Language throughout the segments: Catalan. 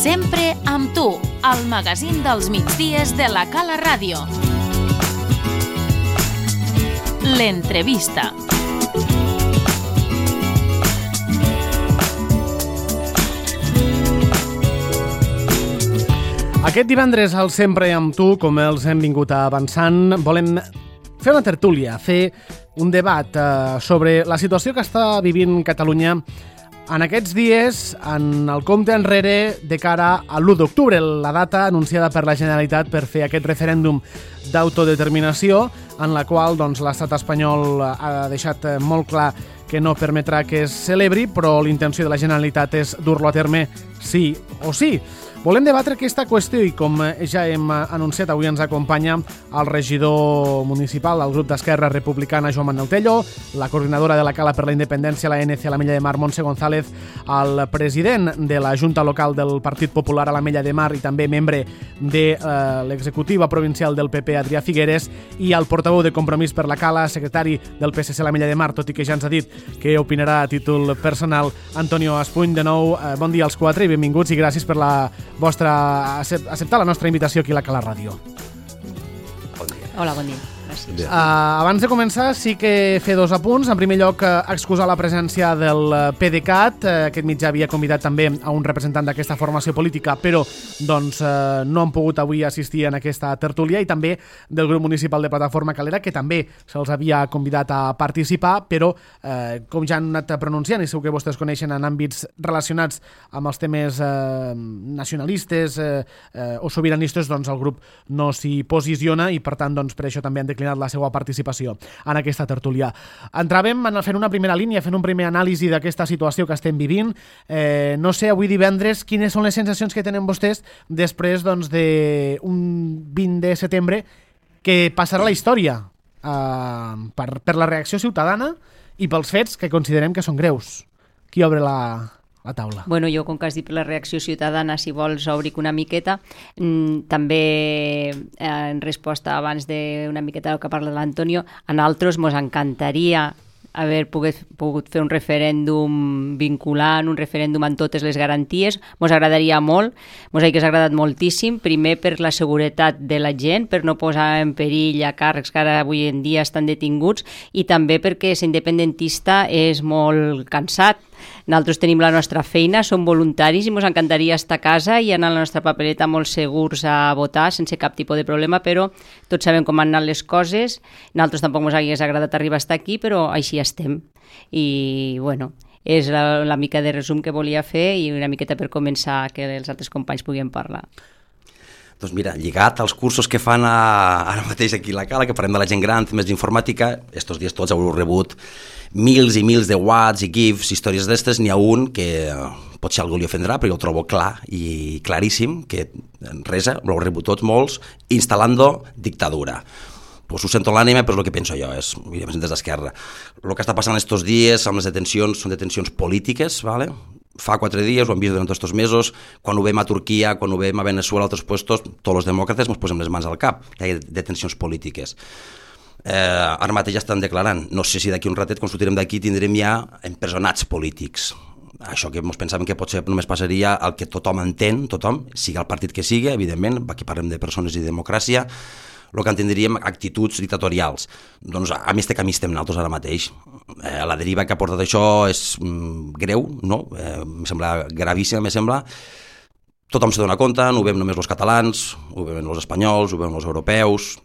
Sempre amb tu, al magazín dels migdies de la Cala Ràdio. L'entrevista. Aquest divendres al Sempre amb tu, com els hem vingut avançant, volem fer una tertúlia, fer un debat sobre la situació que està vivint Catalunya en aquests dies, en el compte enrere de cara a l'1 d'octubre, la data anunciada per la Generalitat per fer aquest referèndum d'autodeterminació, en la qual l'estat espanyol ha deixat molt clar que no permetrà que es celebri, però l'intenció de la Generalitat és dur-lo a terme sí o sí. Volem debatre aquesta qüestió i, com ja hem anunciat, avui ens acompanya el regidor municipal del grup d'Esquerra Republicana, Joan Manuel Tello, la coordinadora de la Cala per la Independència, l'ANC a l'Ametlla de Mar, Montse González, el president de la Junta Local del Partit Popular a l'Ametlla de Mar i també membre de l'executiva provincial del PP, Adrià Figueres, i el portaveu de Compromís per la Cala, secretari del PSC a l'Ametlla de Mar, tot i que ja ens ha dit que opinarà a títol personal, Antonio Espuny. De nou, bon dia als quatre i benvinguts i gràcies per acceptar la nostra invitació aquí a la Cala Ràdio. Bon dia. Hola, bon dia. Gràcies. Abans de començar, sí que fer dos apunts. En primer lloc, excusar la presència del PDeCAT. Aquest mitjà havia convidat també a un representant d'aquesta formació política, però no han pogut avui assistir en aquesta tertúlia, i també del grup municipal de Plataforma Calera, que també se'ls havia convidat a participar, però com ja han anat pronunciant, i segur que vostès coneixen en àmbits relacionats amb els temes nacionalistes o sobiranistes, el grup no s'hi posiciona i per tant per això també han declinat la seva participació en aquesta tertúlia. Entràvem fent una primera línia, fent un primer anàlisi d'aquesta situació que estem vivint. No sé, avui divendres, quines són les sensacions que tenen vostès després d'un 20 de setembre que passarà a la història per la reacció ciutadana i pels fets que considerem que són greus. Qui obre la taula? Bueno, jo, com que has dit per la reacció ciutadana, si vols obric una miqueta, també en resposta abans d'una miqueta del que parla l'Antonio, a nosaltres ens encantaria haver pogut fer un referèndum vinculant, un referèndum amb totes les garanties. Ens agradaria molt, ens hauria agradat moltíssim, primer per la seguretat de la gent, per no posar en perill a càrrecs que ara avui en dia estan detinguts, i també perquè ser independentista és molt cansat. Nosaltres tenim la nostra feina, som voluntaris i ens encantaria estar a casa i anar a la nostra papereta molt segurs a votar sense cap tipus de problema, però tots sabem com han anat les coses. Nosaltres tampoc ens hagués agradat arribar a estar aquí, però així estem. I, bueno, és la mica de resum que volia fer i una miqueta per començar que els altres companys puguin parlar. Doncs mira, lligat als cursos que fan ara mateix aquí a la Cala, que parlem de la gent gran, temes d'informàtica, estos dies tots heu rebut mils i mils de whats i gifs, històries d'estes. N'hi ha un que potser algú li ofendrà, però jo el trobo clar i claríssim, que resa, l'heu rebut tots molts, instal·lando dictadura. Pues ho sento l'ànima, però és el que penso jo, és des d'Esquerra. El que està passant estos dies amb les detencions són detencions polítiques, ¿vale? Fa 4 dies, ho hem vist durant tots aquests mesos, quan ho veiem a Turquia, quan ho veiem a Venezuela, a altres puestos, tots els demòcrates ens posem les mans al cap, hi ha detencions polítiques. Ara mateix ja estan declarant, no sé si d'aquí un ratet, quan sortirem d'aquí, tindrem ja empresonats polítics. Això que ens pensàvem que potser només passaria el que tothom entén, tothom, sigui el partit que sigui, evidentment, aquí parlem de persones i de democràcia, el que entendríem actituds dictatorials. Doncs a més de camí estem nosaltres ara mateix. La deriva que ha portat això és greu, no? Em sembla gravíssima, me sembla. Tothom se dona compte, no ho veiem només els catalans, ho veuen els espanyols, ho veuen els europeus.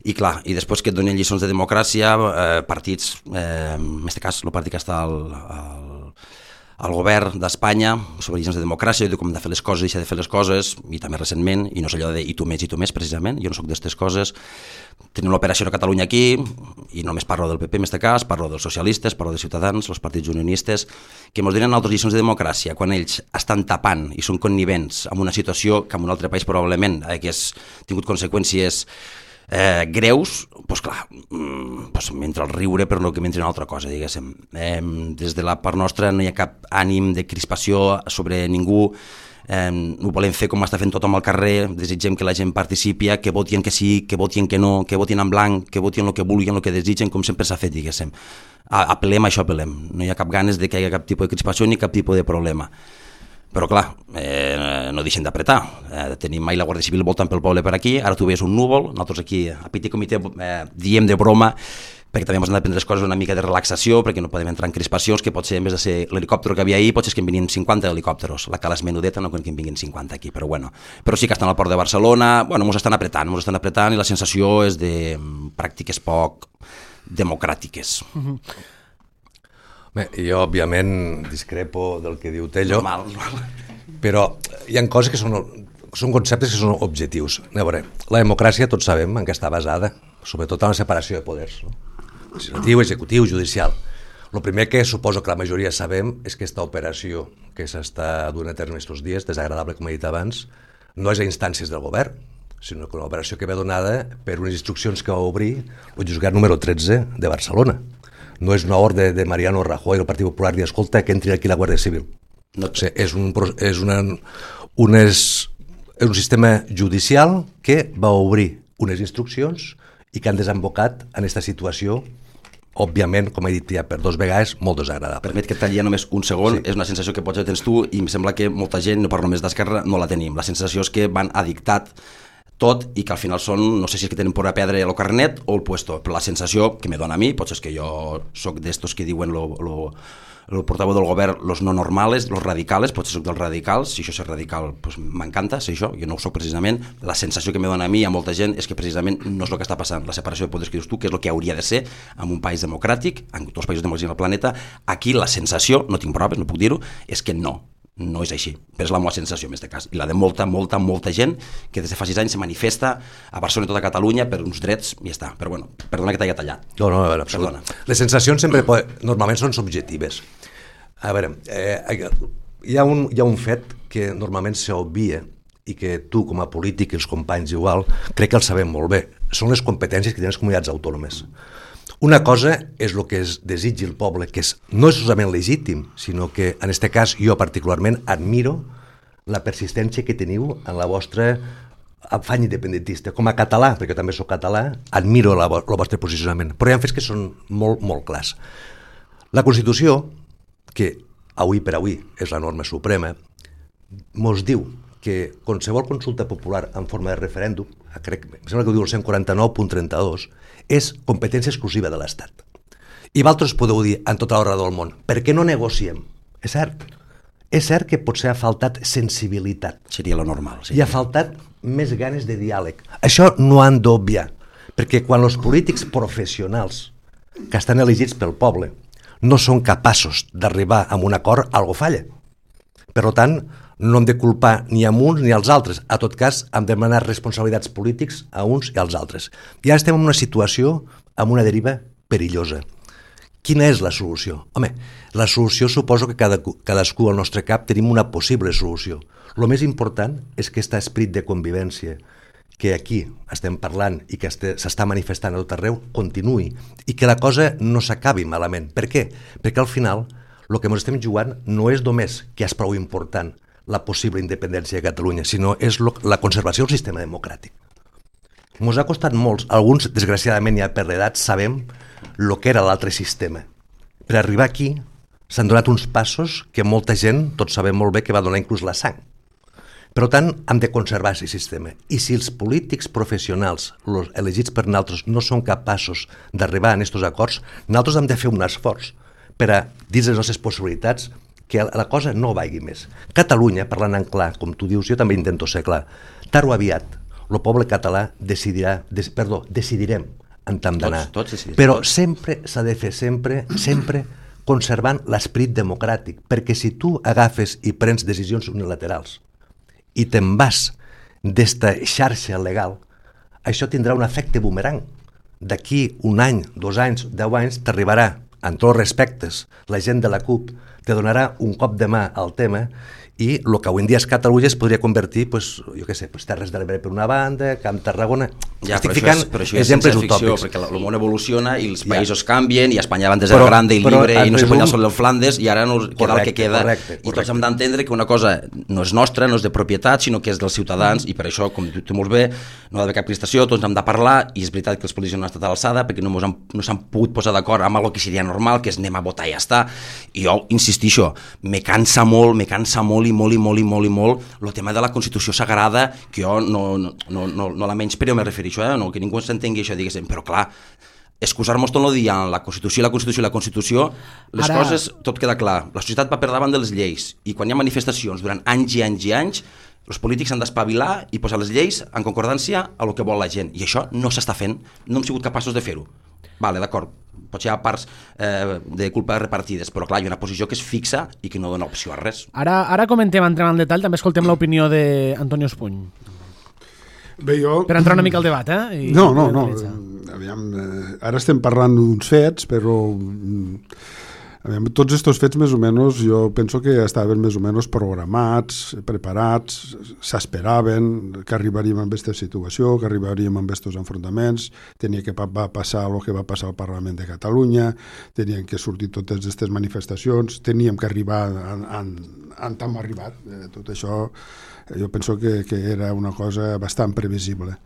I clar, i després que et donen lliçons de democràcia, partits, en aquest cas el partit que està al govern d'Espanya, sobre lliçons de democràcia, com de fer les coses i deixar de fer les coses, i també recentment, i no és allò de i tu més, precisament, jo no soc d'aquestes coses. Tenim l'operació a Catalunya aquí, i no només parlo del PP en aquest cas, parlo dels socialistes, parlo de Ciutadans, els partits unionistes, que ens donen altres lliçons de democràcia, quan ells estan tapant i són connivents amb una situació que en un altre país probablement hagués tingut conseqüències greus, doncs clar, mentre el riure però no que mentre una altra cosa, diguéssim. Des de la part nostra no hi ha cap ànim de crispació sobre ningú, ho volem fer com està fent tothom al carrer, desitgem que la gent participi, que votin que sí, que votin que no, que votin en blanc, que votin el que vulguin, el que desitgen, com sempre s'ha fet, diguéssim. Apel·lem a això, apel·lem. No hi ha cap ganes de que hi hagi cap tipus de crispació ni cap tipus de problema. Però clar, no deixen d'apretar. Tenim mai la Guàrdia Civil voltant pel poble per aquí, ara tu veies un núvol, nosaltres aquí a Petit Comitè diem de broma, perquè també ens han de prendre les coses una mica de relaxació, perquè no podem entrar en crispacions, que pot ser, en vez de ser l'helicòpter que havia ahir, pot ser que en vinguin 50 helicòpteros. La cala és menudeta, no crec que en vinguin 50 aquí, però bueno. Però sí que estan al port de Barcelona, bueno, ens estan apretant i la sensació és de pràctiques poc democràtiques. Bé, jo, òbviament, discrepo del que diu Tello, Normal. però hi ha coses que són conceptes que són objectius. A veure, la democràcia tots sabem en què està basada, sobretot en la separació de poders, no? Legislatiu, executiu, judicial. El primer que suposo que la majoria sabem és que aquesta operació que s'està duent a terme aquests dies, desagradable com he dit abans, no és a instàncies del govern, sinó que una operació que ve donada per unes instruccions que va obrir el jutjat número 13 de Barcelona. No és una ordre de Mariano Rajoy, el Partit Popular, i escolta, que entri aquí la Guàrdia Civil. No, o sigui, és un sistema judicial que va obrir unes instruccions i que han desembocat en aquesta situació, òbviament, com he dit ja per 2 vegades, molt desagradable. Permet que et talli només un segon, Sí. és una sensació que potser tens tu i em sembla que molta gent, no parlo només d'Esquerra, no la tenim. La sensació és que van a dictat tot i que al final són, no sé si és que tenen por a perdre el carnet o el puesto, però la sensació que me dona a mi, potser és que jo soc d'estos que diuen el portaveu del govern, los no normales, los radicales, potser soc dels radicals, si això és radical, pues m'encanta ser això, jo no ho soc precisament, la sensació que me dona a mi i a molta gent és que precisament no és el que està passant, la separació de poders que dius tu, que és el que hauria de ser en un país democràtic, en tots els països democràtics del planeta, aquí la sensació, no tinc proves, no puc dir-ho, és que no és així, però és la meva sensació en aquest cas, i la de molta gent que des de fa 6 anys se manifesta a Barcelona i tota Catalunya per uns drets i ja està, però bueno, perdona que t'hagi tallat. No, a veure, absolut. Perdona. Les sensacions normalment són subjectives. A veure, hi ha un fet que normalment s'obvia i que tu com a polític i els companys igual crec que el sabem molt bé, són les competències que tenen les comunitats autònomes. Una cosa és el que es desitgi el poble, que no és solament legítim, sinó que en aquest cas jo particularment admiro la persistència que teniu en la vostra afany independentista. Com a català, perquè també soc català, admiro el vostre posicionament, però hi ha fets que són molt, molt clars. La Constitució, que avui per avui és la norma suprema, mos diu que qualsevol consulta popular en forma de referèndum, em sembla que ho diu el 149.32, és competència exclusiva de l'Estat. I vosaltres podeu dir en tota l'hora del món, per què no negociem? És cert que potser ha faltat sensibilitat. Seria lo normal. Sí. I ha faltat més ganes de diàleg. Això no han d'obviar, perquè quan els polítics professionals que estan elegits pel poble no són capaços d'arribar a un acord, algo falla. Per tant, no hem de culpar ni a uns ni als altres. A tot cas, hem de demanar responsabilitats polítics a uns i als altres. I ara estem en una situació amb una deriva perillosa. Quina és la solució? Home, la solució suposo que cadascú al nostre cap tenim una possible solució. El més important és que aquest esperit de convivència que aquí estem parlant i que s'està manifestant a tot arreu continuï i que la cosa no s'acabi malament. Per què? Perquè al final el que ens estem jugant no és només que és prou important la possible independència de Catalunya, sinó és la conservació del sistema democràtic. Ens ha costat molts, alguns desgraciadament ja per l'edat sabem el que era l'altre sistema. Per arribar aquí s'han donat uns passos que molta gent, tots sabem molt bé, que va donar inclús la sang. Per tant, hem de conservar aquest sistema. I si els polítics professionals, els elegits per nosaltres, no són capaços d'arribar a aquests acords, nosaltres hem de fer un esforç per a, dins les nostres possibilitats, que la cosa no vagi més. Catalunya, parlant en clar, com tu dius, jo també intento ser clar, tard o aviat, el poble català decidirem en tant d'anar. Però sempre s'ha de fer, sempre conservant l'esperit democràtic, perquè si tu agafes i prens decisions unilaterals i te'n vas d'esta xarxa legal, això tindrà un efecte boomerang. D'aquí un any, 2 anys, 10 anys, t'arribarà, en tots els respectes, la gent de la CUP te donarà un cop de mà al tema i el que avui en dia és Catalunya es podria convertir, jo què sé, Terres de l'Ebre per una banda, Camp Tarragona... Ja, estic ficant exemples utòpics. Perquè el món evoluciona i els països canvien i Espanya abans era grande i libre i no se podia soler el Flandes i ara queda el que queda. I tots hem d'entendre que una cosa no és nostra, no és de propietat, sinó que és dels ciutadans i per això, com dius tu molt bé, no ha d'haver cap prestació, tots hem de parlar i és veritat que els polítics no han estat a l'alçada perquè no s'han pogut posar d'acord amb el que seria normal, que és anem a votar i ja està. I jo insistixo, me cansa molt molt el tema de la Constitució sagrada, que jo no la menyspreo, me refereixo, no, que ningú s'entengui això, diguéssim, però clar, excusar-nos tot el dia en la Constitució, les coses, tot queda clar. La societat va per davant de les lleis, i quan hi ha manifestacions durant anys i anys i anys, els polítics han d'espavilar i posar les lleis en concordància a el que vol la gent, i això no s'està fent, no hem sigut capaços de fer-ho. Vale, d'acord, potser hi ha parts de culpa repartides, però clar, hi ha una posició que és fixa i que no dona opció a res. Ara comentem, entrem en detall, també escoltem l'opinió d'Antonio Espuny. Bé, per entrar una mica al debat, No. Aviam, ara estem parlant d'uns fets, però tots aquests fets més o menys jo penso que estaven més o menys programats, preparats, s'esperaven que arribaríem a aquesta situació, que arribaríem a aquests enfrontaments, tenia que passar el que va passar al Parlament de Catalunya, tenien que sortir totes aquestes manifestacions, teníem que arribar on hem arribat. Tot això jo penso que era una cosa bastant previsible.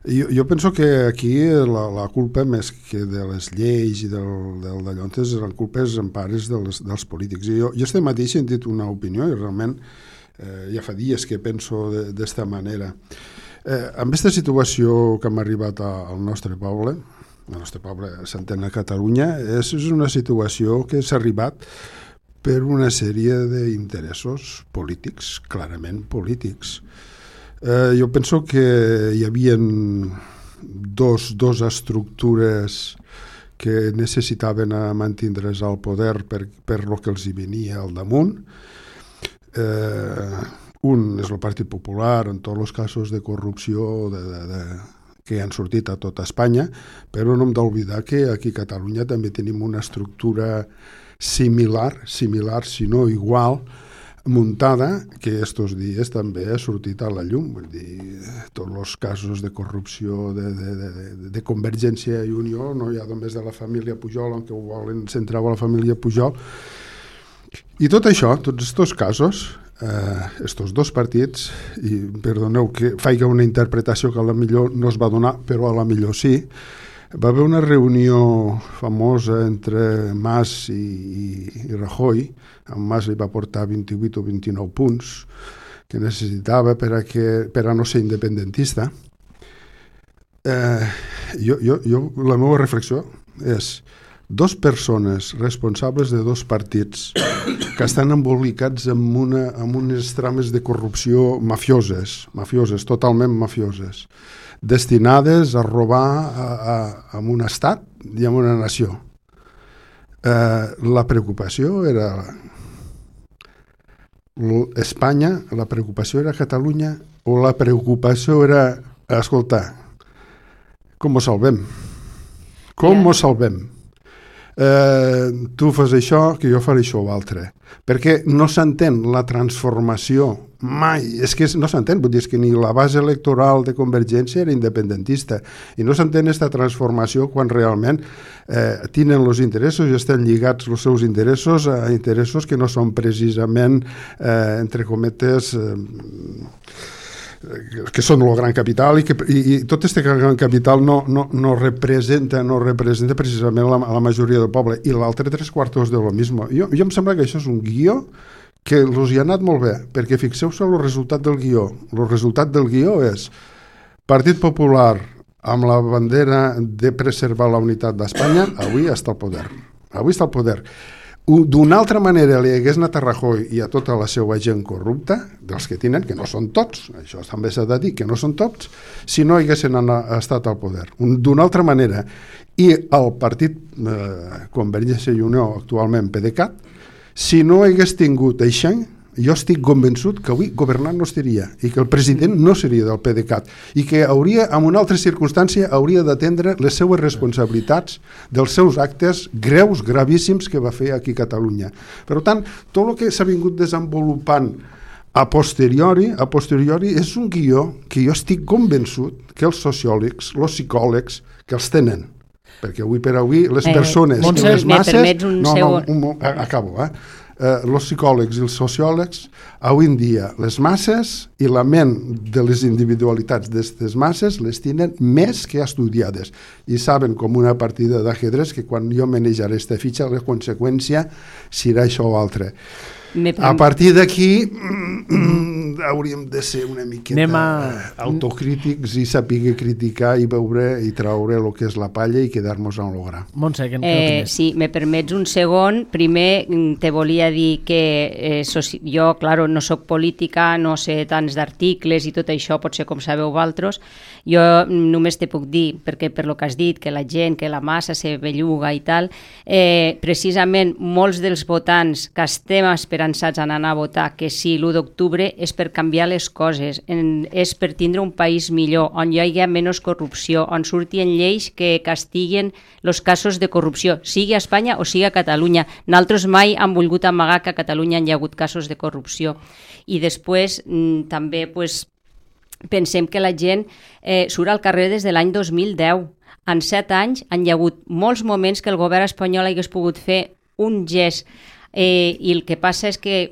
Jo penso que aquí la culpa, més que de les lleis i d'allontes, la culpa és en pares dels polítics. Jo este matí he sentit una opinió i realment ja fa dies que penso d'esta manera. Amb aquesta situació que hem arribat al nostre poble, s'entén a Catalunya, és una situació que s'ha arribat per una sèrie d'interessos polítics, clarament polítics. Jo penso que hi havia dos estructures que necessitaven mantindre's al poder per lo que els hi venia al damunt. Un és el Partit Popular en tots els casos de corrupció que han sortit a tota Espanya, però no hem d'oblidar que aquí a Catalunya també tenim una estructura similar, si no igual, muntada, que estos dies també ha sortit a la llum. Vull dir, tots els casos de corrupció de Convergència i Unió, no hi ha només de la família Pujol, en què ho volen centrar a la família Pujol. I tot això, tots aquests casos, estos dos partits, i perdoneu que faig una interpretació que a la millor no es va donar, però a la millor sí, va haver una reunió famosa entre Mas i Rajoy. En Mas li va portar 28 o 29 punts que necessitava per a no ser independentista. La meva reflexió és dos persones responsables de dos partits que estan embolicats en unes trames de corrupció mafioses, totalment mafioses, destinades a robar a un estat i a una nació. La preocupació era Espanya, la preocupació era Catalunya, o la preocupació era, escolta, com ho salvem? Com ho salvem? Tu fas això, que jo faré això o altre. Perquè no s'entén la transformació mai, és que no s'entén, vull dir que ni la base electoral de Convergència era independentista, i no s'entén aquesta transformació quan realment tenen els interessos i estan lligats els seus interessos a interessos que no són precisament, entre cometes, que són el gran capital, i tot aquest gran capital no representa precisament la majoria del poble, i l'altre 3/4 de lo mismo. Jo em sembla que això és un guió que els hi ha anat molt bé, perquè fixeu-se el resultat del guió. El resultat del guió és Partit Popular amb la bandera de preservar la unitat d'Espanya, avui està al poder. D'una altra manera li hagués anat a Rajoy i a tota la seva gent corrupta, dels que tenen, que no són tots, això també s'ha de dir, que no són tots, si no haguessin estat al poder. D'una altra manera. I el partit Convergència i Unió, actualment PDeCAT, si no hagués tingut això, jo estic convençut que avui governant no estaria, i que el president no seria del PDeCAT, i que hauria, en una altra circumstància, hauria d'atendre les seues responsabilitats dels seus actes greus, gravíssims que va fer aquí a Catalunya. Per tant, tot el que s'ha vingut desenvolupant a posteriori és un guió que jo estic convençut que els sociòlegs, els psicòlegs, que els tenen. perquè avui per avui les persones i les masses... Acabo, els psicòlegs i els sociòlegs, avui en dia les masses i la ment de les individualitats d'aquestes masses les tenen més que estudiades i saben com una partida d'ajedrez que quan jo manejaré aquesta fitxa la conseqüència serà això o altre. A partir d'aquí hauríem de ser una miqueta autocrítics i saber criticar i veure i traure el que és la palla i quedar-nos en l'obra. Montse, què opines? Sí, me permets un segon. Primer te volia dir que jo, claro, no soc política, no sé tants d'articles i tot això, potser com sabeu vosaltres. Jo només te puc dir, perquè per lo que has dit, que la gent, que la massa se belluga i tal, precisament molts dels votants que estem esperançats en anar a votar que sí l'1 d'octubre és per canviar les coses, és per tindre un país millor, on hi hagi menys corrupció, on surtin lleis que castiguen els casos de corrupció, sigui a Espanya o sigui a Catalunya. Nosaltres mai hem volgut amagar que a Catalunya hi ha hagut casos de corrupció. I després també pensem que la gent surt al carrer des de l'any 2010. En 7 anys hi ha hagut molts moments que el govern espanyol hagués pogut fer un gest i el que passa és que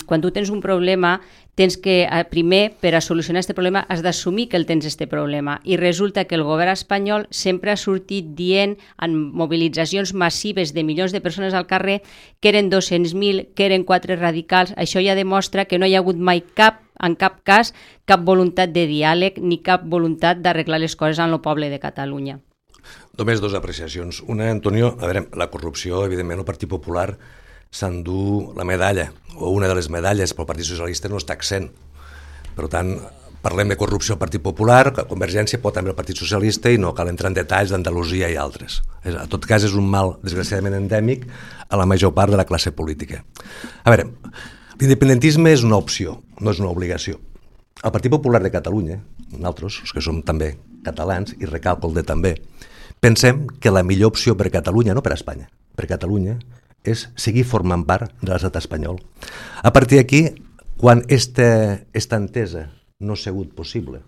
quan tu tens un problema tens que, primer, per a solucionar aquest problema has d'assumir que el tens aquest problema i resulta que el govern espanyol sempre ha sortit dient en mobilitzacions massives de milions de persones al carrer que eren 200.000, que eren 4 radicals. Això ja demostra que no hi ha hagut mai en cap cas cap voluntat de diàleg ni cap voluntat d'arreglar les coses en el poble de Catalunya. Només 2 apreciacions. Una, Antonio, a veure, la corrupció, evidentment, el Partit Popular s'endú la medalla, o una de les medalles, però el Partit Socialista no està accent. Per tant, parlem de corrupció al Partit Popular, Convergència pot també el Partit Socialista i no cal entrar en detalls d'Andalusia i altres. En tot cas, és un mal, desgraciadament, endèmic a la major part de la classe política. A veure, l'independentisme és una opció, no és una obligació. El Partit Popular de Catalunya, nosaltres, els que som també catalans, i recalco el de també, pensem que la millor opció per Catalunya, no per Espanya, per Catalunya, és seguir formant part de l'estat espanyol. A partir d'aquí, quan esta entesa no ha sigut possible,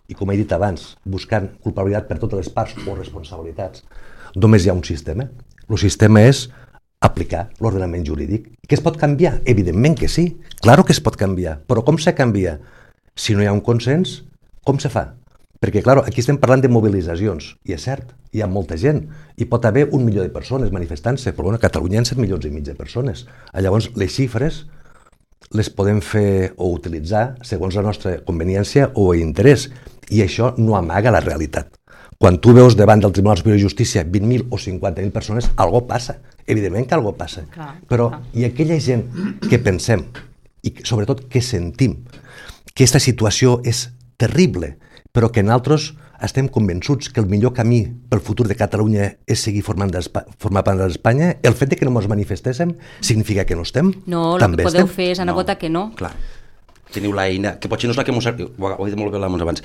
i com he dit abans, buscant culpabilitat per totes les parts o responsabilitats, només hi ha un sistema. El sistema és aplicar l'ordenament jurídic. Que es pot canviar? Evidentment que sí, claro que es pot canviar, però com se canvia? Si no hi ha un consens, com se fa? Perquè, clar, aquí estem parlant de mobilitzacions, i és cert, hi ha molta gent, i pot haver 1 milió de persones manifestant-se, però bueno, a Catalunya hi ha 7,5 milions de persones. Llavors, les xifres les podem fer o utilitzar segons la nostra conveniència o interès, i això no amaga la realitat. Quan tu veus davant del Tribunal Superior de Justícia 20.000 o 50.000 persones, algo passa, evidentment que algo passa, però hi ha aquella gent que pensem, i sobretot que sentim, que aquesta situació és terrible, però que nosaltres estem convençuts que el millor camí pel futur de Catalunya és seguir formar part d'Espanya. El fet de que no ens manifestéssim significa que no estem? No, el que podeu fer és anar a votar que no. Clar. Teniu l'eina, que potser no és la que ho he dit molt bé abans.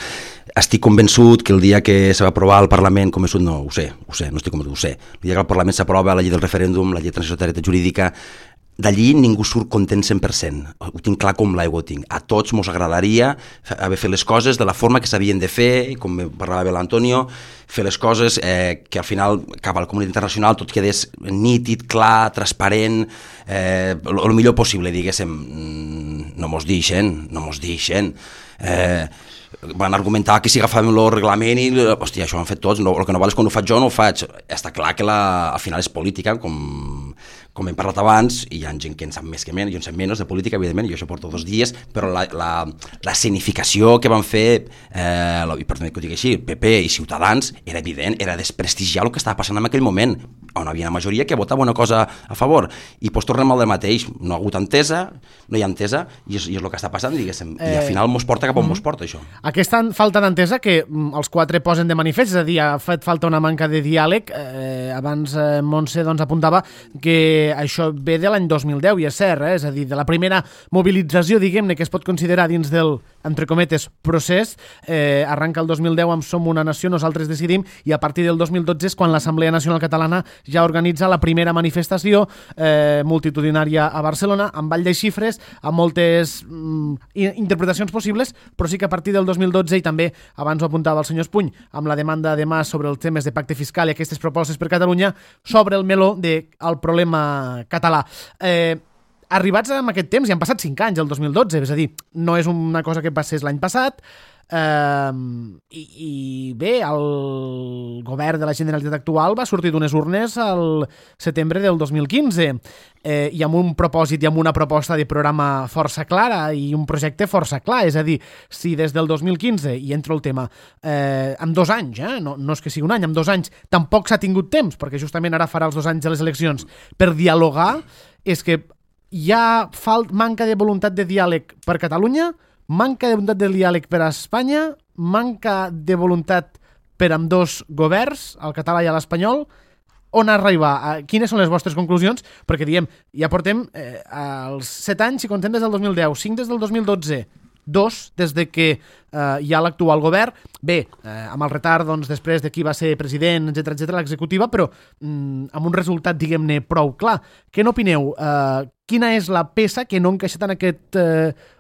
Estic convençut que el dia que se va aprovar al Parlament, no ho sé, no estic convençut, ho sé. El dia que al Parlament s'aprova la llei del referèndum, la llei de transitorietat jurídica, d'allí ningú surt content 100%. Ho tinc clar com l'aigua ho tinc. A tots mos agradaria haver fet les coses de la forma que s'havien de fer, com parlava bé l'Antonio, fer les coses que al final cap a la comunitat internacional tot quedés nítid, clar, transparent, el millor possible, diguéssim. No mos deixen. Van argumentar que si agafàvem el reglament i, hòstia, això ho han fet tots, el que no val és quan ho faig jo no ho faig. Està clar que al final és política, com hem parlat abans, i hi ha gent que en sap més que menys, jo en sap menys de política, evidentment, jo això porto 2 dies, però la escenificació que van fer, perdó que ho digui així, PP i Ciutadans, era evident, era desprestigiar el que estava passant en aquell moment, on hi havia una majoria que votava una cosa a favor, i doncs tornem al mateix, no ha hagut entesa, no hi ha entesa, i és el que està passant, diguéssim, i al final mos porta cap on mos porta, això. Aquesta falta d'entesa que els 4 posen de manifest, és a dir, ha fet falta una manca de diàleg, abans Montse apuntava que això ve de l'any 2010, i és cert, és a dir, de la primera mobilització, diguem-ne, que es pot considerar dins del entre cometes, procés. Arranca el 2010 amb Som una nació, nosaltres decidim, i a partir del 2012 és quan l'Assemblea Nacional Catalana ja organitza la primera manifestació multitudinària a Barcelona, amb ball de xifres, amb moltes interpretacions possibles, però sí que a partir del 2012, i també abans ho apuntava el senyor Espuny, amb la demanda de Mas sobre els temes de pacte fiscal i aquestes propostes per Catalunya, s'obre el meló del problema català. Arribats en aquest temps, ja han passat 5 anys, el 2012, és a dir, no és una cosa que passés l'any passat, i bé, el govern de la Generalitat actual va sortir d'unes urnes al setembre del 2015 i amb un propòsit i amb una proposta de programa força clara i un projecte força clar, és a dir, si des del 2015, i entro el tema, amb 2 anys, no és que sigui un any, amb 2 anys, tampoc s'ha tingut temps, perquè justament ara farà els 2 anys de les eleccions, per dialogar, és que hi ha manca de voluntat de diàleg per Catalunya, manca de voluntat de diàleg per a Espanya, manca de voluntat per ambdós governs, el català i l'espanyol. On arribar? Quines són les vostres conclusions? Perquè diem, ja portem els 7 anys, si contem des del 2010, 5 des del 2012, 2 des de que hi ha l'actual govern, bé, amb el retard doncs, després de qui va ser president, etc l'executiva, però amb un resultat, diguem-ne, prou clar. Què n'opineu? Quina és la peça que no ha encaixat en aquest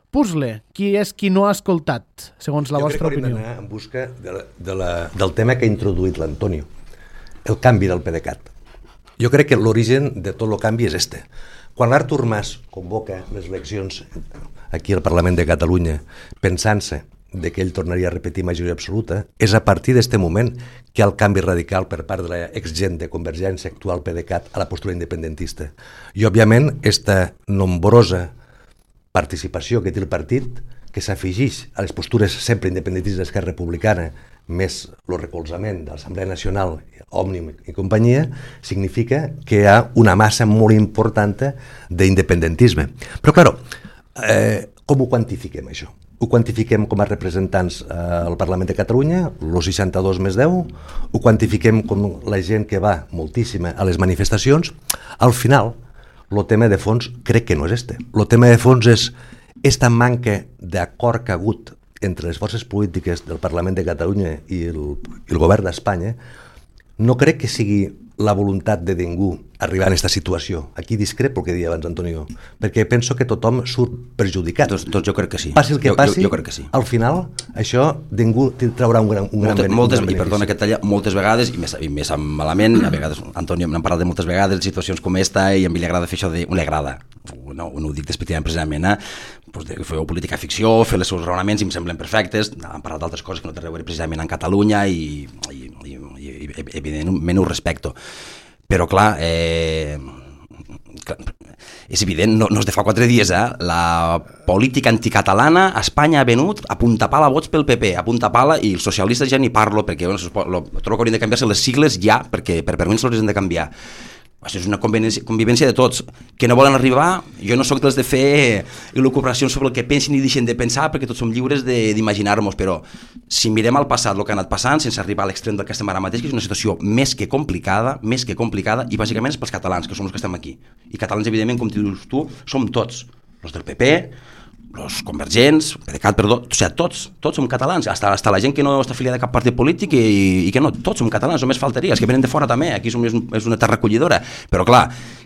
puzzle? Qui és qui no ha escoltat, segons la vostra opinió? Jo crec que hauríem d'anar en busca del tema que ha introduït l'Antonio, el canvi del PDeCAT. Jo crec que l'origen de tot el canvi és este. Quan l'Artur Mas convoca les eleccions aquí al Parlament de Catalunya pensant-se de que ell tornaria a repetir majoria absoluta, és a partir d'este moment que hi ha el canvi radical per part de l'exgent de Convergència, actual PDeCAT, a la postura independentista. I, òbviament, esta nombrosa participació que té el partit, que s'afegeix a les postures sempre independentistes d'Esquerra Republicana, més el recolzament de l'Assemblea Nacional, Òmnium i companyia, significa que hi ha una massa molt important d'independentisme. Però, clar, com ho quantifiquem, això? Ho quantifiquem com a representants al Parlament de Catalunya, els 62 més 10, ho quantifiquem com la gent que va moltíssima a les manifestacions. Al final, el tema de fons crec que no és este. El tema de fons és esta manca d'acord que ha hagut entre les forces polítiques del Parlament de Catalunya i el govern d'Espanya. No crec que sigui la voluntat de ningú arribar a aquesta situació. Aquí discrepo el que deia abans Antonio, perquè penso que tothom surt perjudicat. Doncs jo crec que sí. Passi el que passi, jo crec que sí. Al final això ningú traurà un gran benefici. I perdona que talla, moltes vegades, i més malament, a vegades, Antonio n'hem parlat de moltes vegades, situacions com esta, i a mi li agrada fer això de... li agrada, no ho dic despectivament precisament, doncs de fer política ficció, fer els seus raonaments i em semblen perfectes. Hem parlat d'altres coses que no tenen a veure precisament en Catalunya i evidentment ho respecto. Però clar, és evident, no és de fa 4 dies, la política anticatalana a Espanya ha venut a punta pala vots pel PP, a punta pala, i els socialistes ja ni parlo, perquè trobo que haurien de canviar-se les sigles ja, perquè per mi se les han de canviar. Això és una convivència de tots, que no volen arribar. Jo no sóc dels de fer elucubracions sobre el que pensin i deixen de pensar, perquè tots som lliures d'imaginar-nos, però si mirem al passat el que ha anat passant, sense arribar a l'extrem del que estem ara mateix, que és una situació més que complicada, i bàsicament és pels catalans, que som els que estem aquí. I catalans, evidentment, com dius tu, som tots, els del PP, els convergents, PDeCAT, perdó, o sigui, tots som catalans, hasta la gent que no està afiliada a cap partit polític i que no, tots som catalans, només faltaria, els que venen de fora també, aquí és una terra acollidora, però clar,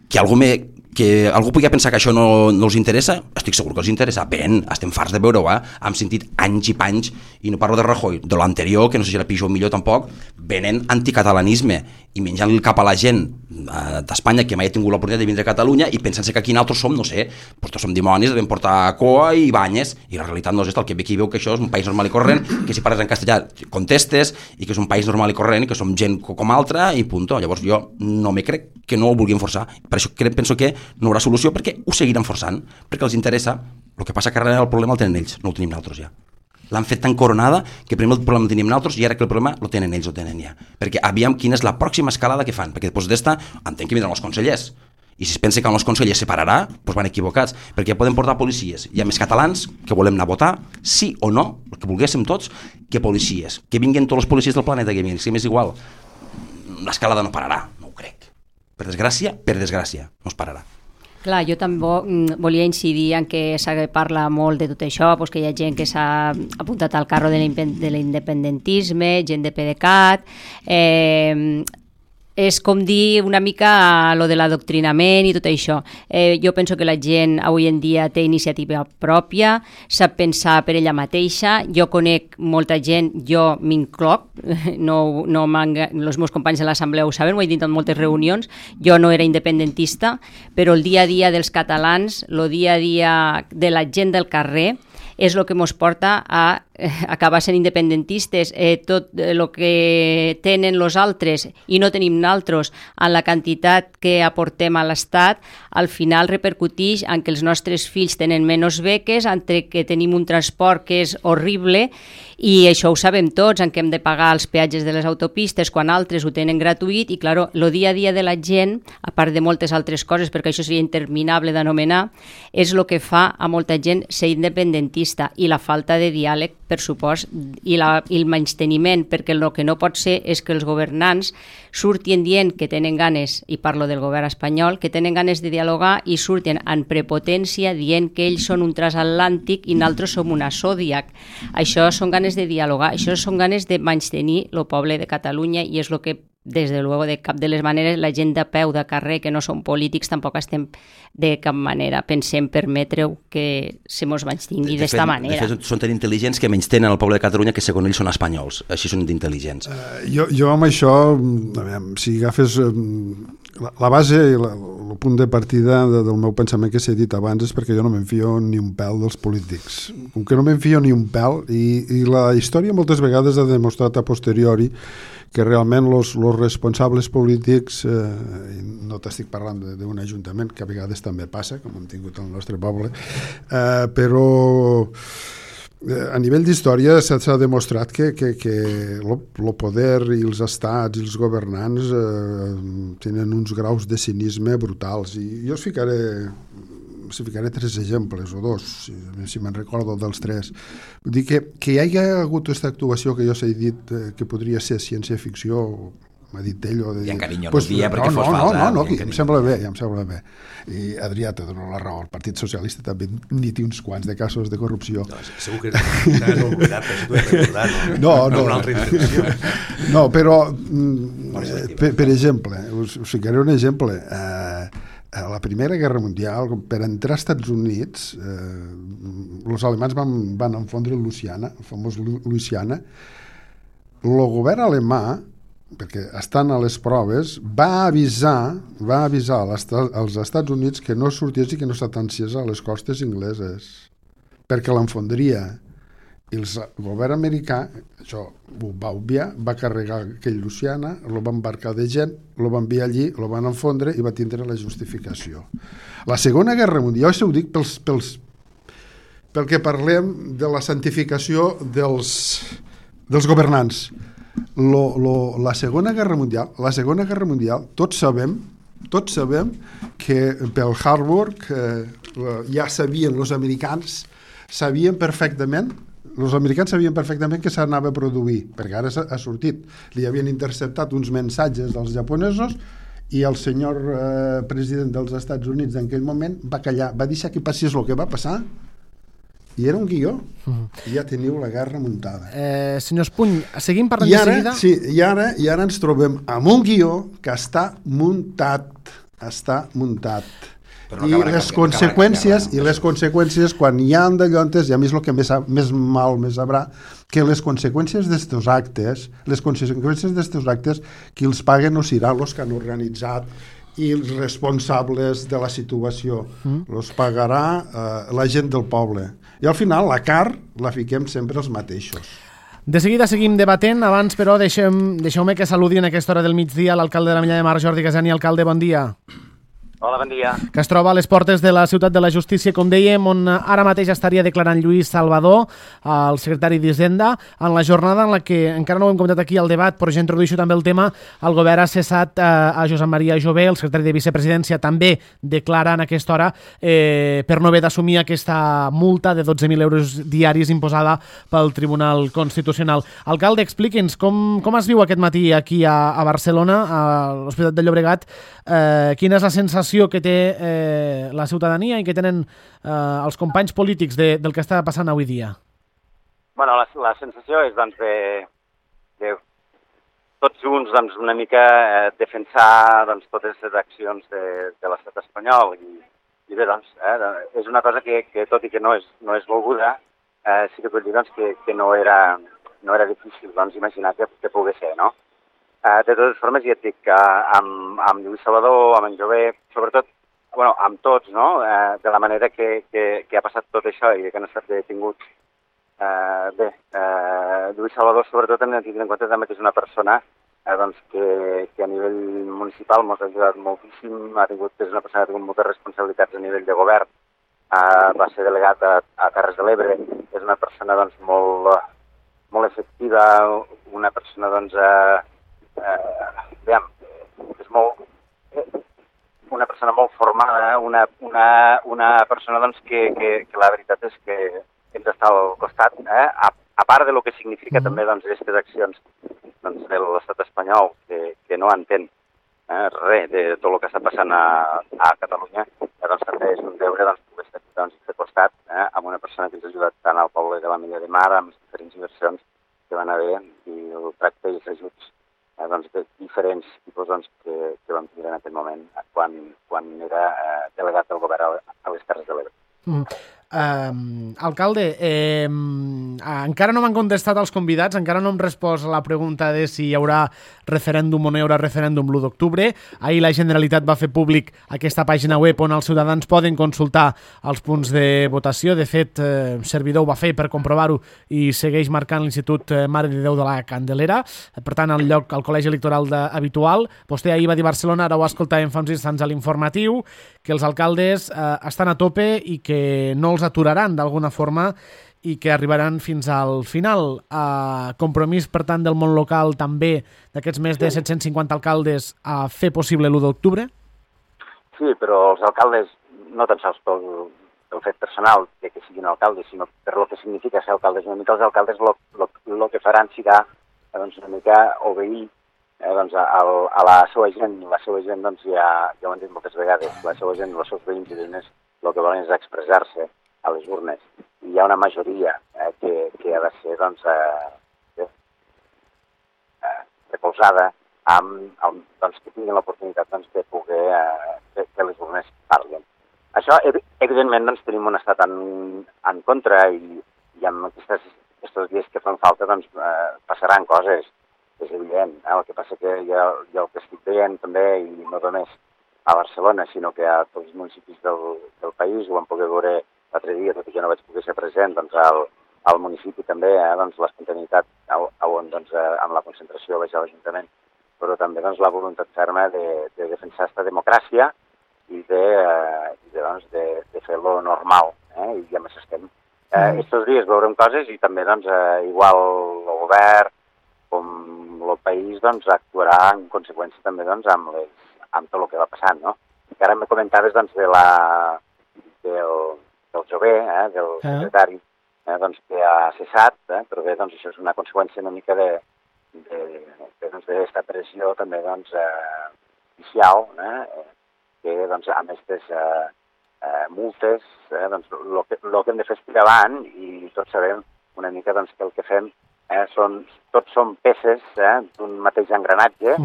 que algú pugui pensar que això no els interessa, estic segur que els interessa, ben, estem farts de veure-ho, hem sentit anys i panys, i no parlo de Rajoy, de l'anterior, que no sé si era pitjor o millor tampoc, venen anticatalanisme, i menjant el cap a la gent d'Espanya que mai ha tingut l'oportunitat de vindre a Catalunya i pensant que aquí nosaltres som, no sé, doncs som dimonis, devem portar coa i banyes, i la realitat no és el que ve aquí veu que això és un país normal i corrent, que si parles en castellà contestes, i que és un país normal i corrent, i que som gent com altra, i punto. Llavors jo no me crec que no ho vulguin forçar, per això penso que no hi haurà solució, perquè ho seguiran forçant, perquè els interessa. El que passa que ara el problema el tenen ells, no el tenim nosaltres ja. L'han fet tan coronada que primer el problema el tenim nosaltres i ara que el problema el tenen ells, ja. Perquè aviam quina és la pròxima escalada que fan, perquè després d'esta entenc que vindran els consellers. I si es pensa que amb els consellers separarà, doncs van equivocats, perquè poden portar policies. Hi ha més catalans que volem anar a votar, sí o no, el que volguéssim tots, que policies. Que vinguin tots els policies del planeta, que vinguin, si m'és igual. L'escalada no pararà, no ho crec. Per desgràcia, no es pararà. Clar, jo també volia incidir en que se parla molt de tot això, que hi ha gent que s'ha apuntat al carro de l'independentisme, gent de PDeCAT, és com dir una mica lo de l'adoctrinament i tot això. Jo penso que la gent avui en dia té iniciativa pròpia, sap pensar per ella mateixa. Jo conec molta gent, jo m'incloc, els meus companys de l'assemblea ho saben, ho he dit en moltes reunions, jo no era independentista, però el dia a dia dels catalans, el dia a dia de la gent del carrer, és el que ens porta a acabar sent independentistes. Tot el que tenen els altres i no tenim nosaltres en la quantitat que aportem a l'Estat, al final repercuteix en que els nostres fills tenen menys beques, entre que tenim un transport que és horrible, i això ho sabem tots, en què hem de pagar els peatges de les autopistes quan altres ho tenen gratuït, i clar, el dia a dia de la gent, a part de moltes altres coses, perquè això seria interminable d'anomenar, és el que fa a molta gent ser independentista, i la falta de diàleg, per supost, i el menysteniment, perquè el que no pot ser és que els governants surtin dient que tenen ganes, i parlo del govern espanyol, que tenen ganes de dialogar i surten en prepotència dient que ells són un transatlàntic i nosaltres som una Zodiac. Això són ganes de dialogar, això són ganes de menystenir el poble de Catalunya, i és el que, des de luego, de cap de les maneres, la gent de peu, de carrer, que no són polítics, tampoc estem de cap manera pensem permetre-ho que se mos menystingui d'esta manera. De fet, són tan intel·ligents que menystenen el poble de Catalunya, que segons ells són espanyols. Així són d'intel·ligents. Jo amb això, si agafes la base i el punt de partida del meu pensament que s'ha dit abans, és perquè jo no m'enfio ni un pèl dels polítics. Com que no m'enfio ni un pèl, i la història moltes vegades ha demostrat a posteriori que realment els responsables polítics, no t'estic parlant d'un ajuntament, que a vegades també passa, com hem tingut al nostre poble, però a nivell d'història s'ha demostrat que el poder i els estats i els governants tenen uns graus de cinisme brutals, i jo ficaré 3 exemples o 2, si me'n recordo dels 3. Vull dir que hi hagi hagut aquesta actuació que jo s'he dit que podria ser ciència-ficció, m'ha dit ell, o de dir... I en carinyo no dia perquè fos falsa. No, em sembla bé. I Adrià te dono la raó, el Partit Socialista també n'hi té uns quants de casos de corrupció. No, segur que t'has oblidat, però si t'ho he recordat. No. Una altra intenció. No, però, per exemple, us ficaré un exemple. A la Primera Guerra Mundial, per entrar als Estats Units, els alemanys van enfondre Louisiana, el famós Louisiana. El govern alemà, perquè estan a les proves, va avisar als Estats Units que no sorties i que no s'atanciés a les costes ingleses, perquè l'enfondria. I el govern americà, això ho va obviar, va carregar aquell Louisiana, el va embarcar de gent, el va enviar allí, el van enfondre i va tindre la justificació. La Segona Guerra Mundial, això ho dic pel que parlem de la santificació dels governants. La Segona Guerra Mundial, tots sabem que pel Harbor ja sabien els americans perfectament que s'anava a produir, perquè ara ha sortit. Li havien interceptat uns mensatges dels japonesos i el senyor president dels Estats Units en aquell moment va callar, va deixar que passés el que va passar, i era un guió. I ja teniu la guerra muntada. Senyor Espuny, seguim parlant de seguida? Sí, i ara ens trobem amb un guió que està muntat. I les conseqüències quan hi ha d'allontes, i a mi és el que més mal me sabrà, que les conseqüències d'estos actes, qui els paguen no seran els que han organitzat i els responsables de la situació. Els pagarà la gent del poble. I al final la carn la fiquem sempre els mateixos. De seguida seguim debatent. Abans, però, deixeu-me que saludi en aquesta hora del migdia l'alcalde de la Milla de Mar, Jordi Casani. Alcalde, bon dia. Hola, bon dia. Que es troba a les portes de la Ciutat de la Justícia, com dèiem, on ara mateix estaria declarant Lluís Salvador, el secretari d'Hisenda, en la jornada en la que, encara no ho hem comentat aquí al debat, però ja introdueixo també el tema, el govern ha cessat a Josep Maria Jové, el secretari de Vicepresidència, també declara en aquesta hora per no haver d'assumir aquesta multa de 12.000 euros diaris imposada pel Tribunal Constitucional. Alcalde, expliqui'ns com es viu aquest matí aquí a Barcelona, a l'Hospitalet de Llobregat, quina és la sensació sensació que té la ciutadania i que tenen els companys polítics del que està passant avui dia? Bueno, la sensació és doncs, de tots junts doncs, una mica defensar doncs, totes les accions de l'estat espanyol i bé, doncs, és una cosa que tot i que no és volguda, sí que vull dir doncs, que no era difícil doncs, imaginar que pogués ser, no? De totes formes, ja et dic que amb Lluís Salvador, amb en Jové, sobretot, bueno, amb tots, no? De la manera que ha passat tot això i que han estat detinguts. Lluís Salvador, sobretot, hem de tenir en compte també que és una persona doncs, que a nivell municipal ens ha ajudat moltíssim, és una persona que ha tingut moltes responsabilitats a nivell de govern, va ser delegat a Terres de l'Ebre, és una persona doncs, molt efectiva, una persona doncs, és una persona molt formada, una persona doncs, que la veritat és que ens està al costat, a part de lo que significa també doncs, aquestes accions doncs, de l'estat espanyol, que no entén res de tot el que està passant a Catalunya, doncs també és un deure doncs, poder estar doncs, de costat amb una persona que ens ha ajudat tant al poble de la Milla de Mar, amb les diferents inversions que van haver, i el tracte i els ajuts doncs, de diferents tipus doncs, que vam tenir en aquest moment quan era delegat del govern a les Terres de l'Ebre. Alcalde, encara no m'han contestat els convidats, encara no hem respost la pregunta de si hi haurà referèndum o no hi haurà referèndum l'1 d'octubre. Ahir la Generalitat va fer públic aquesta pàgina web on els ciutadans poden consultar els punts de votació. De fet, servidor ho va fer per comprovar-ho i segueix marcant l'Institut Mare de Déu de la Candelera. Per tant, el lloc al col·legi electoral habitual. Vostè ahir va dir Barcelona, ara ho escoltàvem fa uns instants a l'informatiu, que els alcaldes estan a tope i que no els aturaran d'alguna forma i que arribaran fins al final. Compromís, per tant, del món local també d'aquests més de 750 alcaldes a fer possible l'1 d'octubre? Sí, però els alcaldes, no tan sols pel fet personal de que siguin alcaldes, sinó per lo que significa ser alcaldes. Una mica els alcaldes el que faran serà doncs, una mica obeir doncs, a la seva gent. La seva gent, doncs, ja ho han dit moltes vegades, la seva gent, els seus veïns i veïnes, el que volen és expressar-se a les urnes. I hi ha una majoria que ha de ser doncs, recolzada doncs, que tinguin l'oportunitat doncs, de poder que les urnes parlin. Això, evidentment, doncs, tenim un estat en contra i amb aquests dies que fan falta doncs, passaran coses, és evident. El que passa que jo el que estic veient també, i no només a Barcelona, sinó que a tots els municipis del país, ho vam poder veure l'altre dia, tot i que no vaig poder ser present, doncs al municipi també, doncs l'espontaneïtat on doncs, amb la concentració vaig a l'Ajuntament, però també doncs, la voluntat ferma de defensar aquesta democràcia i de fer-lo normal, i amb això estem. Estos dies veurem coses i també doncs, igual el govern com el país doncs, actuarà en conseqüència també doncs, amb tot el que va passant, no? Que ara me comentaves doncs, del Jové, del secretari, doncs, que ha cessat, però bé, doncs, això és una conseqüència una mica d'esta pressió també doncs, oficial, que doncs, amb aquestes multes, doncs, el que hem de fer és tirar avant i tots sabem una mica doncs, que el que fem tots són peces d'un mateix engranatge